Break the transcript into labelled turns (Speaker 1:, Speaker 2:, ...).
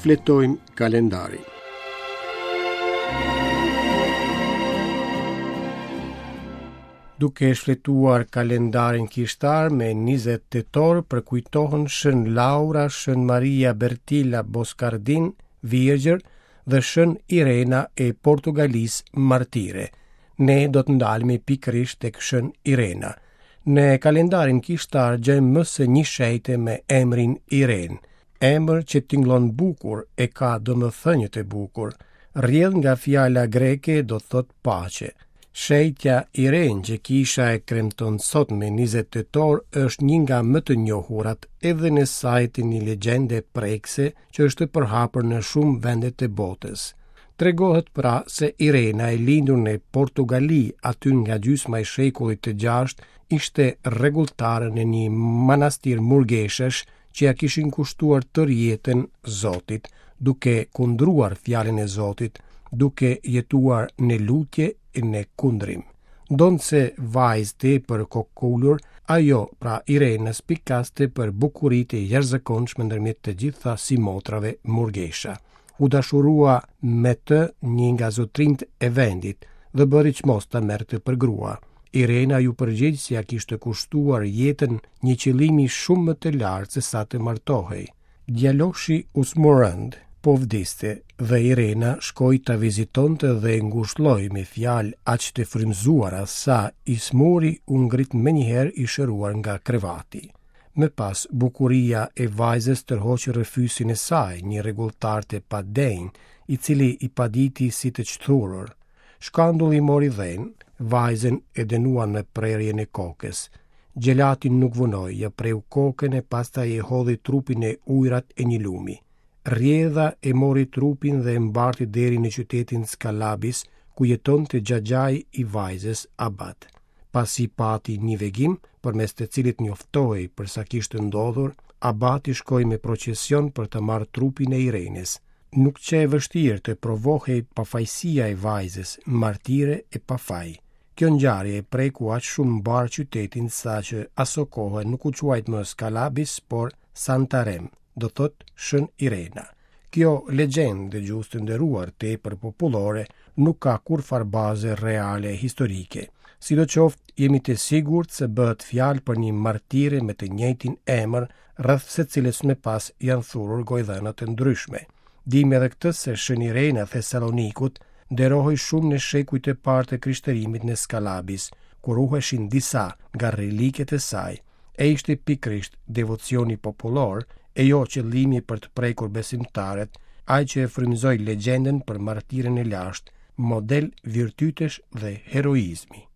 Speaker 1: Shfletojmë kalendarin. Duke shfletuar kalendarin kishtar me 20 tetor përkujtohen Shën Laura, Shën Maria Bertilla Boscardin, Virgjër dhe Shën Irena e Portugalisë martire. Ne do të ndalemi pikërisht tek Shën Irena. Në kalendarin kishtar gjejmë më se një shenjte me emrin Irenë. Emër që tingëllon bukur e ka domethënie të bukur. Rrjedh nga fjala greke do të thotë paqe. Shenjtja Irenë që kisha e kremton sot me 20 tetor është një nga më të njohurat edhe në sajë të një legjende prekëse që është përhapur në shumë vende të botës. Tregohet pra se Irena e lindur në Portugali aty nga gjysma e shekullit të gjashtë ishte rregulltare në një manastir murgeshash që ia kishin kushtuar tërë jetën Zotit, duke kundruar fjalën e Zotit, duke jetuar në lutje e në kundrim. Ndonëse vajzë tepër kokëkulur, ajo, pra Irena, spikaste për bukuritë e jashtëzakonshme ndërmjet të gjitha simotrave murgesha. U dashurua me të një nga zotërinjtë e vendit dhe bëri çmos ta merrte për grua. Irena iu përgjigj se ia kishte kushtuar jetën një qëllimi shumë më të lartë se sa të martohej. Djaloshi u sëmur rëndë, po vdiste dhe Irena shkoi ta vizitonte dhe e ngushëlloi me fjalë aq të frymëzuara sa i sëmuri u ngrit menjëherë i shëruar nga krevati. Më pas, bukuria e vajzës tërhoqi rrëfyesin e saj, një rregulltar të padenjë, i cili i paditi si të shthurur. Shkandulli mori dhenë, vajzën e dënuan me prerjen e kokës. Xhelati nuk vonoi, ia preu kokën e pastaj e hodhi trupin në ujërat e një lumi. Rrjedha e mori trupin dhe e mbarti deri në qytetin Skalabis, ku jetonte xhaxhai i vajzës Abat. Pasi pati një vegim, përmes të cilit njoftohej për sa kishte ndodhur, abati shkoi me procesion për të marrë trupin e Irenës. Nuk qe e vështirë të provohej pafajësia e vajzës, martire e pafaj. Kjo ngjarje e preku aq shumë mbarë qytetin saqë asokohe nuk u quajt më Skalabis, por Santarem, do thotë Shën Irena. Kjo legjendë, dëgjues të nderuar, tepër popullore, nuk ka kurrfarë baze reale historike. Sidoqoftë, jemi të sigurt se bëhet fjalë për një martire me të njëjtin emër, rreth së cilës më pas janë thurur gojëdhëna të ndryshme. Dimë edhe këtë se Shën Irena e Thesalonikut nderohej shumë në shekujt e parë të krishterimit në Skalabis, ku ruheshin disa nga reliket e saj, e ishte pikërisht devocioni popullor e jo qëllimi për të prekur besimtarët, ai që e frymëzoi legjendën për martiren e lashtë, model virtytesh dhe heroizmi.